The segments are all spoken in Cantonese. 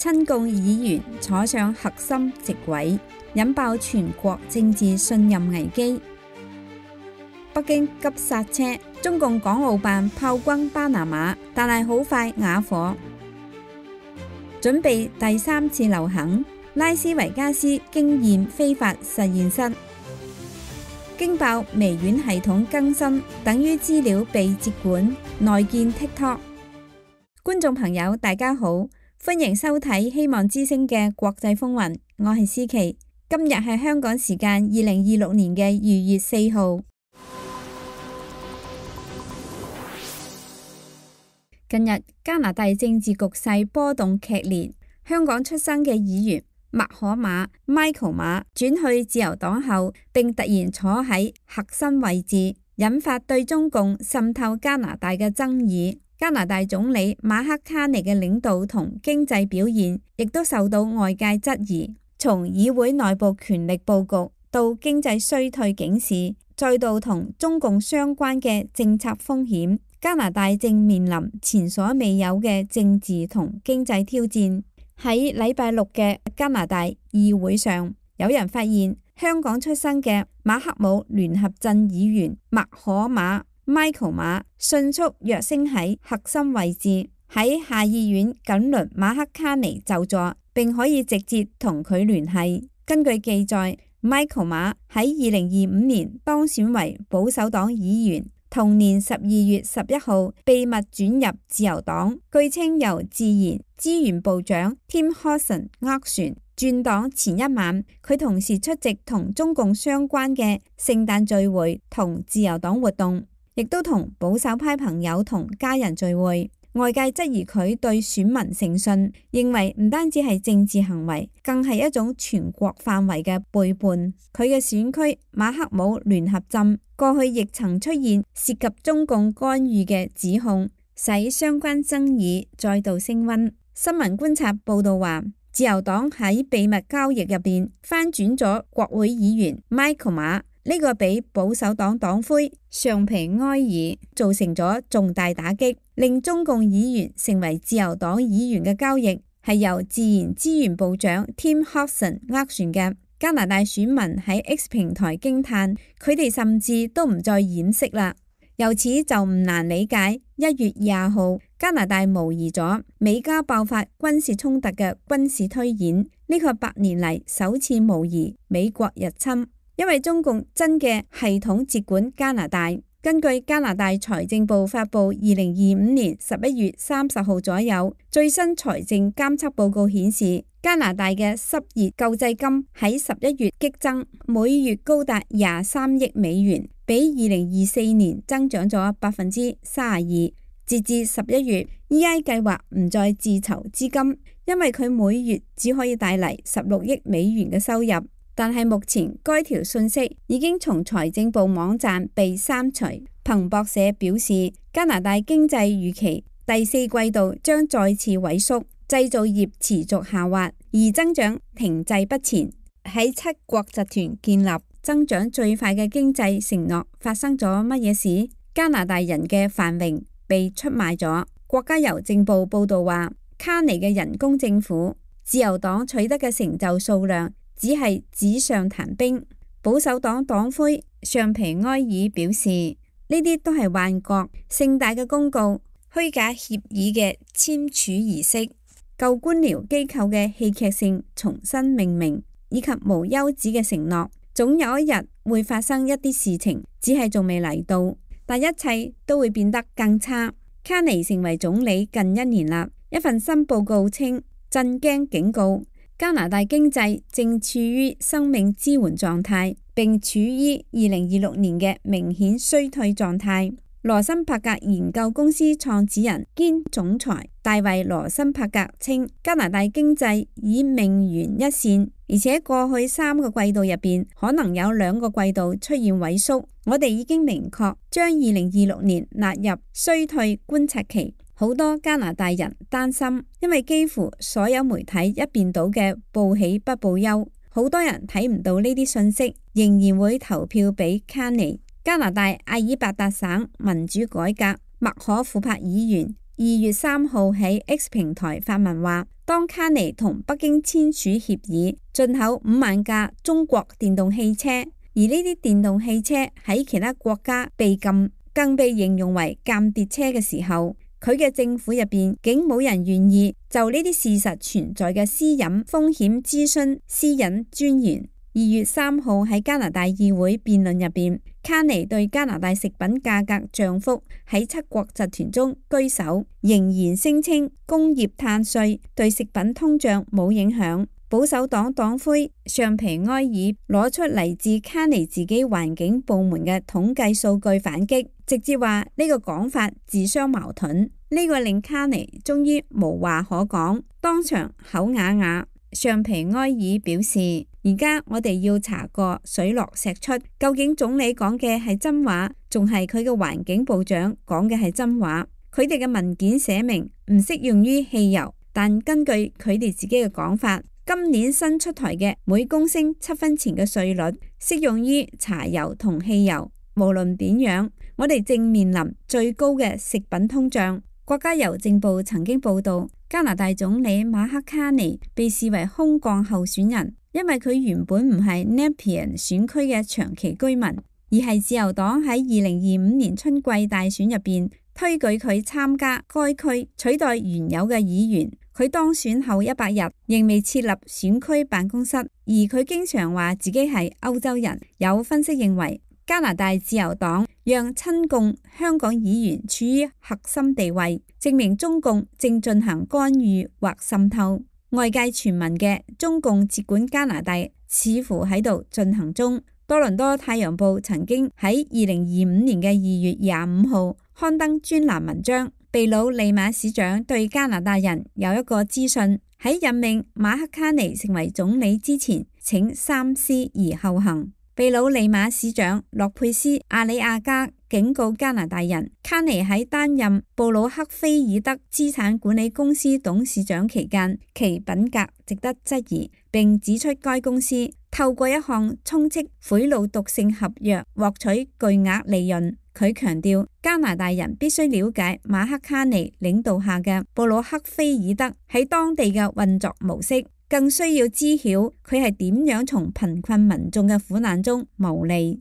親共議員坐上核心席位，引爆全國政治信任危機。北京急剎車，中共港澳辦炮轟巴拿馬，但係好快啞火。準備第3次流行，拉斯維加斯經驗非法實驗室驚爆微軟系統更新，等於資料被接管，內建 TikTok。觀眾朋友大家好，歡迎收睇希望之聲嘅國際風雲，我係思琪。今日係香港時間2026年嘅2月4號。近日加拿大政治局勢波動劇烈，香港出生嘅議員麥可馬 Michael 馬轉去自由黨後，並突然坐喺核心位置，引發對中共滲透加拿大嘅爭議。加拿大總理馬克卡尼嘅領導同經濟表現亦都受到外界質疑，從議會內部權力佈局到經濟衰退警示，再到同中共相關嘅政策風險，加拿大正面臨前所未有嘅政治同經濟挑戰。喺禮拜六嘅加拿大議會上，有人發現香港出生嘅馬克姆聯合鎮議員麥可馬 Michael 馬迅速躍升喺核心位置，喺下議院緊鄰馬克卡尼就座，並可以直接同佢聯繫。根據記載，Michael 馬喺2025年當選為保守黨議員，同年12月11號秘密轉入自由黨，據稱由自然資源部長 Tim Hodson 斡旋。轉黨前一晚，佢同時出席同中共相關嘅聖誕聚會同自由黨活動，亦都同保守派朋友同家人聚會。外界質疑佢對選民誠信，認為唔單止係政治行為，更係一種全國範圍嘅背叛。佢嘅選區馬克姆聯合鎮過去亦曾出現涉及中共干預嘅指控，使相關爭議再度升溫。新聞觀察報道話，自由黨喺秘密交易入邊翻轉咗國會議員 Michael 馬，呢個俾保守黨黨魁尚皮埃爾造成咗重大打擊，令中共議員成為自由黨議員嘅交易係由自然資源部長 Tim Hodson 斡旋嘅。加拿大選民喺 X 平台驚嘆，佢哋甚至都唔再掩飾啦。由此就唔難理解1月20號加拿大模擬咗美加爆發軍事衝突嘅軍事推演，呢個8年嚟首次模擬美國入侵。因為中共真嘅系統接管加拿大。根據加拿大財政部發布2025年11月30號左右最新財政監測報告顯示，加拿大嘅失業救濟金喺11月激增，每月高達23億美元，比2024年增長咗32%。截至11月 ，EI 計劃唔再自籌資金，因為佢每月只可以帶嚟16億美元嘅收入。但係目前該條信息已經從財政部網站被刪除。彭博社表示，加拿大經濟預期第4季度將再次萎縮，製造業持續下滑，而增長停滯不前。喺7國集團建立增長最快嘅經濟承諾發生咗乜嘢事？加拿大人嘅繁榮被出賣咗。國家郵政部報道話，卡尼嘅人工政府，自由黨取得嘅成就數量只係紙上談兵。保守黨黨魁尚皮埃爾表示，呢啲都係幻覺、盛大嘅公告、虛假協議嘅簽署儀式、舊官僚機構嘅戲劇性重新命名，以及無休止嘅承諾。總有一日會發生一啲事情，只係仲未嚟到，但一切都會變得更差。卡尼成為總理近1年啦，一份新報告稱，震驚警告。加拿大經濟正處於生命支援狀態，並處於2026年嘅明顯衰退狀態。羅森伯格研究公司創始人兼總裁大衛羅森伯格稱，加拿大經濟已命懸一線，而且過去3個季度入邊可能有2個季度出現萎縮。我哋已經明確將2026年納入衰退觀察期。好多加拿大人擔心，因為幾乎所有媒體一邊倒嘅報喜不報憂，好多人睇唔到呢啲信息，仍然會投票俾卡尼。加拿大阿爾伯達省民主改革麥可庫珀議員2月3號喺 X 平台發文話，當卡尼同北京簽署協議，進口5萬架中國電動汽車，而呢啲電動汽車喺其他國家被禁，更被形容為間諜車嘅時候，佢嘅政府入邊竟冇人願意就呢啲事實存在嘅私隱風險諮詢私隱專員。2月3號喺加拿大議會辯論入邊，卡尼對加拿大食品價格漲幅喺7國集團中居首，仍然聲稱工業碳稅對食品通脹冇影響。保守黨黨魁尚皮埃爾攞出嚟自卡尼自己環境部門嘅統計數據反擊，直接話呢個講法自相矛盾。呢個令卡尼終於無話可講，當場口啞啞。尚皮埃爾表示，而家我哋要查個水落石出，究竟總理講嘅係真話，仲係佢嘅環境部長講嘅係真話？佢哋嘅文件寫明唔適用於汽油，但根據佢哋自己嘅講法，今年新出台嘅每公升7分錢嘅稅率適用於柴油同汽油。無論點樣，我哋正面臨最高嘅食品通脹。國家郵政部曾經報道，加拿大總理馬克卡尼被視為空降候選人，因為佢原本唔係 Nepean 選區嘅長期居民，而係自由黨喺2025年春季大選入邊推舉佢參加該區，取代原有嘅議員。佢當選後100日仍未設立選區辦公室，而佢經常話自己係歐洲人。有分析認為，加拿大自由黨讓親共香港議員處於核心地位，證明中共正進行干預或滲透。外界傳聞嘅中共接管加拿大似乎喺度進行中。多倫多太陽報曾經喺2025年嘅2月25號刊登專欄文章，秘魯利馬市長對加拿大人有一個資訊：喺任命馬克卡尼成為總理之前，請三思而後行。秘魯利馬市長洛佩斯阿里亞加警告加拿大人，卡尼喺擔任布魯克菲爾德資產管理公司董事長期間，其品格值得質疑，並指出該公司透過一項充斥賄賂毒性合約獲取巨額利潤。佢強調，加拿大人必須了解馬克卡尼領導下嘅布魯克菲爾德喺當地嘅運作模式，更需要知曉佢係點樣從貧困民眾嘅苦難中牟利。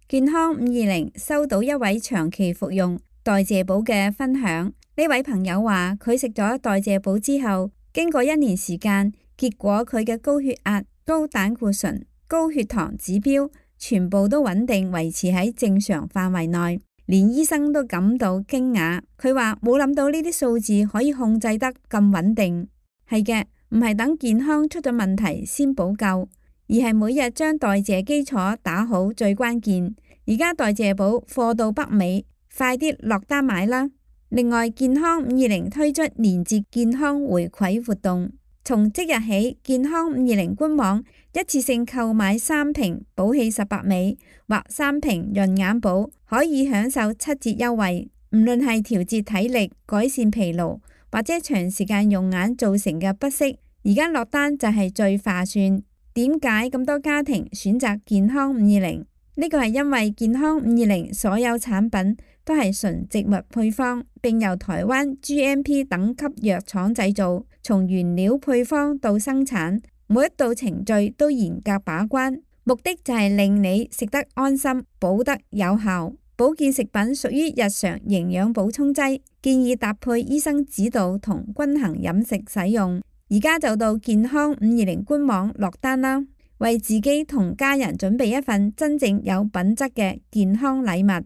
健康520收到一位長期服用代謝寶嘅分享，呢位朋友話佢食咗代謝寶之後，經過1年時間，結果佢嘅高血壓、高膽固醇、高血糖指標全部都穩定維持喺正常範圍內，連醫生都感到驚訝。佢話冇諗到呢啲數字可以控制得咁穩定。係嘅，唔係等健康出咗問題先補救，而係每日將代謝基礎打好最關鍵。而家代謝寶貨到北美，快啲落單買啦！另外，健康520推出年節健康回饋活動，從即日起，健康520官網一次性購買3瓶寶氣18美或3瓶潤眼寶，可以享受7折優惠。唔論係調節體力、改善疲勞，或者長時間用眼造成嘅不適，而家落單就係最划算。點解咁多家庭選擇健康520？呢個係因為健康520所有產品都係純植物配方，並由台灣 GMP 等級藥廠製造，從原料配方到生產，每一道程序都嚴格把關，目的就係令你食得安心，補得有效。保健食品屬於日常營養補充劑，建議搭配醫生指導同均衡飲食使用。而家就到健康520官網落單啦！為自己同家人準備一份真正有品質嘅健康禮物。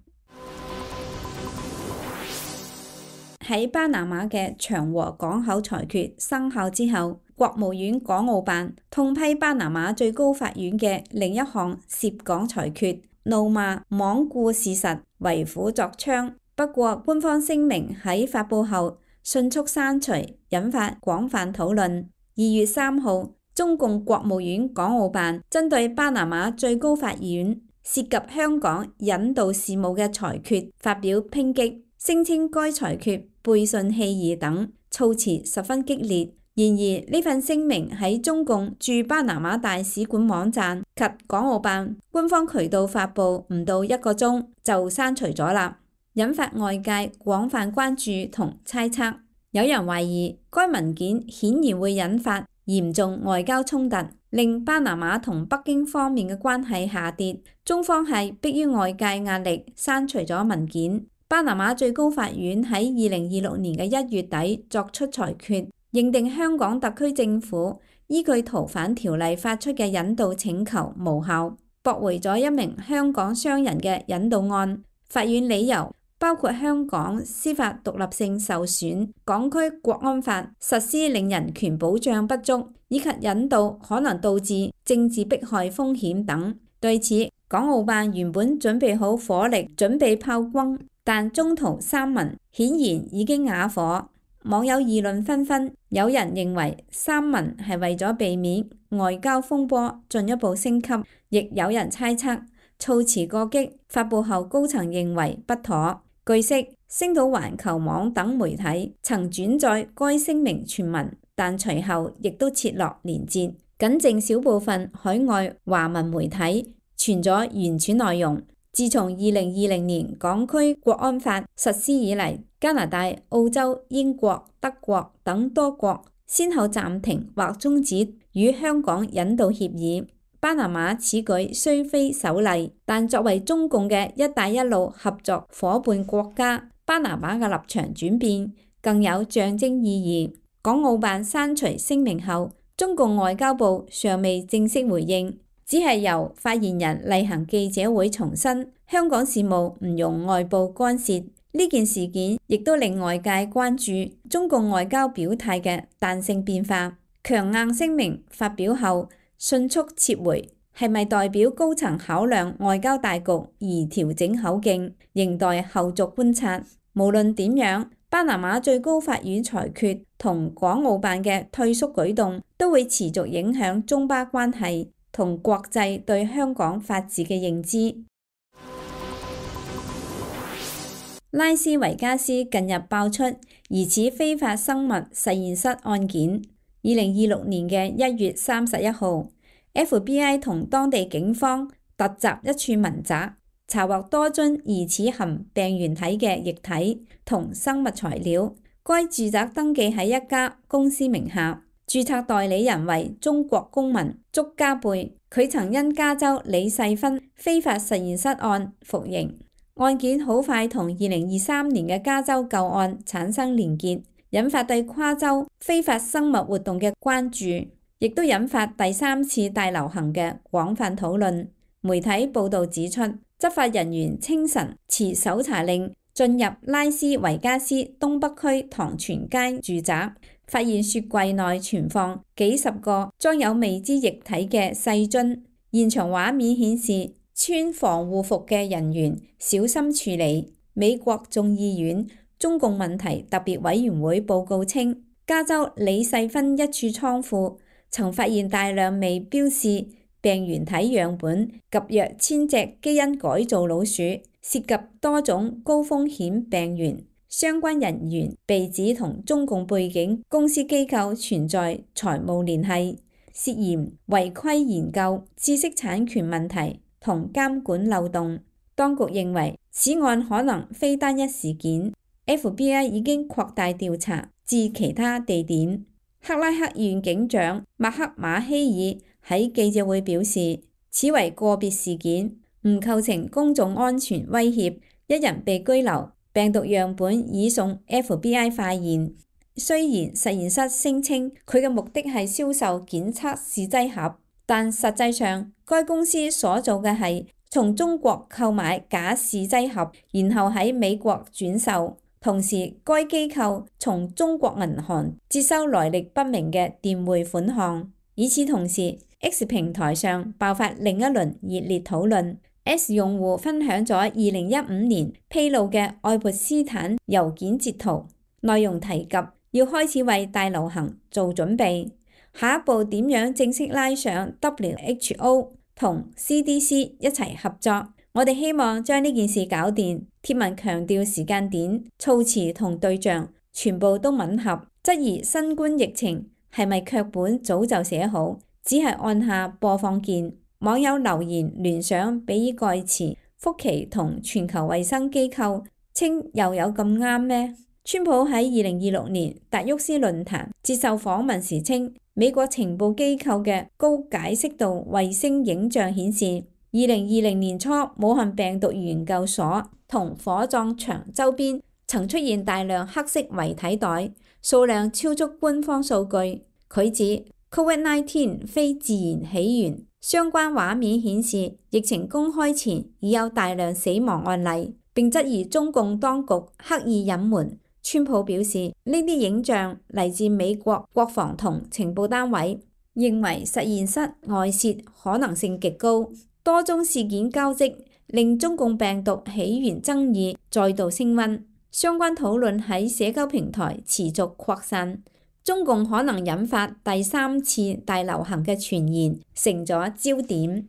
喺巴拿馬嘅長和港口裁決生效之後，國務院港澳辦痛批巴拿馬最高法院嘅另一項涉港裁決，怒罵罔顧事實、為虎作倀。不過，官方聲明喺發佈後迅速刪除，引發廣泛討論。2月3號，中共國務院港澳辦針對巴拿馬最高法院涉及香港引渡事務嘅裁決發表抨擊，聲稱該裁決背信棄義等，措辭十分激烈。然而呢份聲明喺中共駐巴拿馬大使館網站及港澳辦官方渠道發佈唔到1個鐘就刪除咗啦。引發外界廣泛關注同猜測。有人懷疑該文件顯然會引發嚴重外交衝突，令巴拿馬同北京方面嘅關係下跌。中方係迫於外界壓力刪除咗文件。巴拿馬最高法院喺2026年嘅1月底作出裁決，認定香港特區政府依據逃犯條例發出嘅引渡請求無效，駁回咗一名香港商人嘅引渡案。法院理由包括香港司法獨立性受損、港區國安法實施令人權保障不足，以及引渡可能導致政治迫害風險等。對此，港澳辦原本準備好火力，準備炮轟，但中途刪文，顯然已經啞火。網友議論紛紛，有人認為刪文係為咗避免外交風波進一步升級，亦有人猜測措辭過激，發布後高層認為不妥。據悉，星島環球網等媒體曾轉載該聲明全文，但隨後亦都撤落連結，僅剩小部分海外華文媒體傳咗原始內容。自從2020年港區國安法實施以嚟，加拿大、澳洲、英國、德國等多國先後暫停或終止與香港引渡協議。巴拿馬此舉雖非首例，但作為中共嘅一帶一路合作夥伴國家，巴拿馬嘅立場轉變更有象徵意義。港澳辦刪除聲明後，中共外交部尚未正式回應，只係由發言人例行記者會重申香港事務唔容外部干涉。呢件事件亦都令外界關注中共外交表態嘅彈性變化。強硬聲明發表後迅速撤回，係咪代表高層考量外交大局而調整口徑，仍待後續觀察。無論點樣，巴拿馬最高法院裁決同港澳辦嘅退縮舉動都會持續影響中巴關係同國際對香港法治嘅認知。拉斯維加斯近日爆出疑似非法生物實驗室案件。2026年嘅1月31號，FBI 同當地警方突襲一處民宅，查獲多樽疑似含病原體嘅液體同生物材料。該住宅登記喺一家公司名下，註冊代理人為中國公民祝家貝，佢曾因加州李世芬非法實驗室案服刑。案件好快同2023年嘅加州舊案產生連結，引發對跨州非法生物活動嘅關注，亦都引發第3次大遊行嘅廣泛討論。媒體報導指出，執法人員清晨持搜查令進入拉斯維加斯東北區唐泉街住宅，發現雪櫃內存放幾十個裝有未知液體嘅細樽。現場畫面顯示穿防護服嘅人員小心處理。美國眾議院中共問題特別委員會報告稱，加州李世芬一處倉庫曾發現大量未標示病原體樣本及約1000隻基因改造老鼠，涉及多種高風險病原。相關人員被指同中共背景公司機構存在財務聯繫，涉嫌違規研究、知識產權問題同監管漏洞。當局認為此案可能非單一事件， FBI 已經擴大調查至其他地點。克拉克縣警長麥克馬希爾喺記者會表示，此為個別事件，唔構成公眾安全威脅，一人被拘留，病毒樣本已送 FBI 化驗。雖然實驗室聲稱佢嘅目的係銷售檢測試劑盒，但實際上該公司所做嘅係從中國購買假試劑盒，然後喺美國轉售。同時，該機構從中國銀行接收來歷不明嘅電匯款項。與此同時， X 平台上爆發另一輪熱烈討論。X 用戶分享咗2015年披露嘅愛潑斯坦郵件截圖，內容提及要開始為大流行做準備，下一步點樣正式拉上 WHO 同 CDC 一齊合作。我哋希望將呢件事搞掂。貼文強調時間點、措辭同對象全部都吻合，質疑新冠疫情係咪劇本早就寫好，只係按下播放鍵。網友留言聯想比爾蓋茨、福奇同全球衛生機構稱又有咁啱咩？川普喺2026年達沃斯論壇接受訪問時稱，美國情報機構嘅高解析度衛星影像顯示，2020年初武漢病毒研究所同火葬場周邊曾出現大量黑色遺體袋，數量超出官方數據。佢指 COVID-19 非自然起源，相關畫面顯示疫情公開前已有大量死亡案例，並質疑中共當局刻意隱瞞。川普表示，呢啲影像嚟自美國國防同情報單位，認為實驗室外泄可能性極高。多宗事件交織，令中共病毒起源爭議再度升溫。相關討論喺社交平台持續擴散，中共可能引發第3次大流行嘅傳言成咗焦點。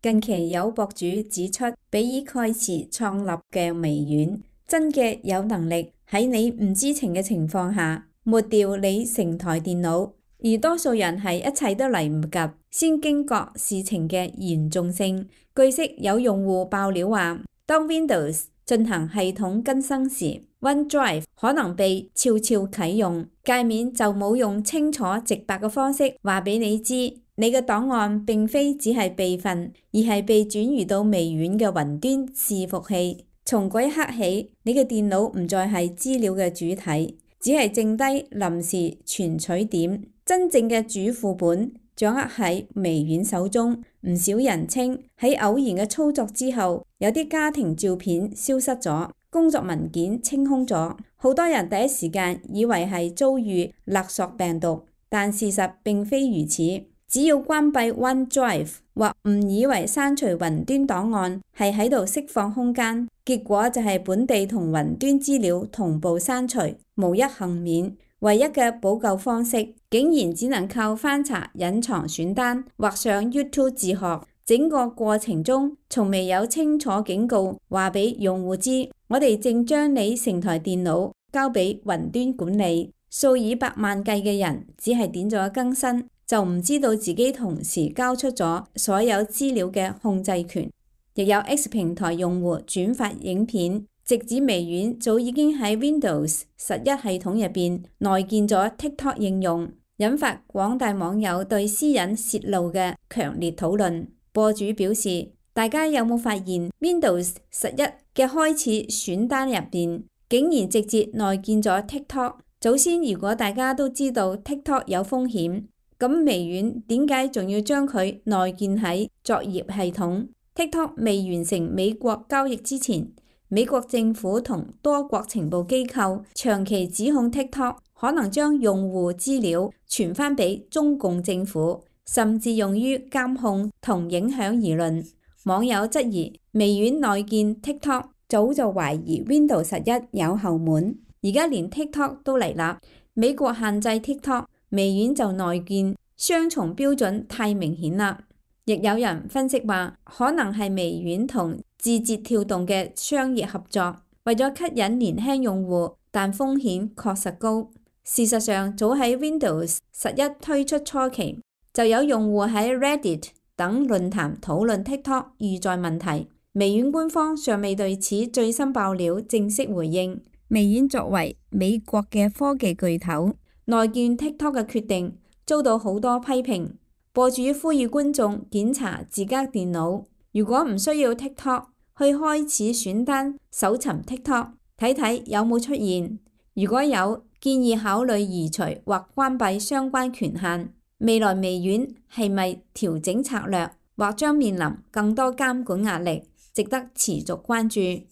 近期有博主指出，比爾蓋茨創立嘅微軟真嘅有能力喺你唔知情嘅情況下抹掉你成台電腦，而多數人係一切都嚟唔及先驚覺事情嘅嚴重性。據悉有用戶爆料話，當 Windows 進行系統更新時， OneDrive 可能被悄悄啟用，界面就冇用清楚直白嘅方式話俾你知，你嘅檔案並非只係備份，而係被轉移到微軟嘅雲端伺服器。從嗰一刻起，你嘅電腦唔再係資料嘅主體，只係剩低臨時存取點，真正嘅主副本掌握喺微軟手中。唔少人稱喺偶然嘅操作之後，有啲家庭照片消失咗，工作文件清空咗。好多人第一時間以為係遭遇勒索病毒，但事實並非如此。只要關閉 OneDrive 或誤以為刪除雲端檔案係喺度釋放空間，結果就係本地同雲端資料同步刪除，無一幸免。唯一嘅補救方式，竟然只能靠翻查隱藏選單或上 YouTube 自學。整個過程中，從未有清楚警告話俾用戶知，我哋正將你成台電腦交俾雲端管理。數以百萬計嘅人只係點咗更新，就唔知道自己同時交出咗所有資料嘅控制權。亦有 X 平台用戶轉發影片，直指微軟早已經喺 Windows 11系統入邊內建咗 TikTok 應用，引發廣大網友對私隱泄露嘅強烈討論。播主表示，大家有冇發現 Windows 11嘅開始選單入邊竟然直接內建咗 TikTok？ 早先如果大家都知道 TikTok 有風險，咁微軟點解仲要將佢內建喺作業系統？ TikTok 未完成美國交易之前，美國政府同多國情報機構長期指控 TikTok 可能將用戶資料傳翻俾中共政府，甚至用於監控同影響輿論。網友質疑微軟內建 TikTok， 早就懷疑 Windows 11有後門，而家連 TikTok 都嚟啦。美國限制 TikTok， 微軟就內建，雙重標準太明顯啦。亦有人分析話，可能係微軟同字節跳動嘅商業合作，為咗吸引年輕用戶，但風險確實高。事實上，早喺 Windows 11推出初期，就有用戶喺 Reddit 等論壇討論 TikTok 遇載問題。微軟官方尚未對此最新爆料正式回應。微軟作為美國嘅科技巨頭，內建 TikTok 嘅決定遭到好多批評。播主呼籲觀眾檢查自家電腦，如果唔需要 TikTok， 去開始選單搜尋 TikTok， 睇睇有冇出現。如果有，建議考慮移除或關閉相關權限。未來微軟係咪調整策略，或將面臨更多監管壓力，值得持續關注。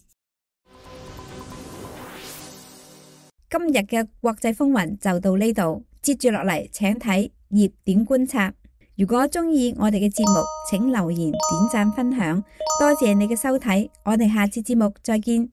今日嘅國際風雲就到呢度，接住落嚟請睇熱點觀察。如果中意我哋嘅節目，請留言、點讚、分享，多謝你嘅收睇，我哋下次節目再見。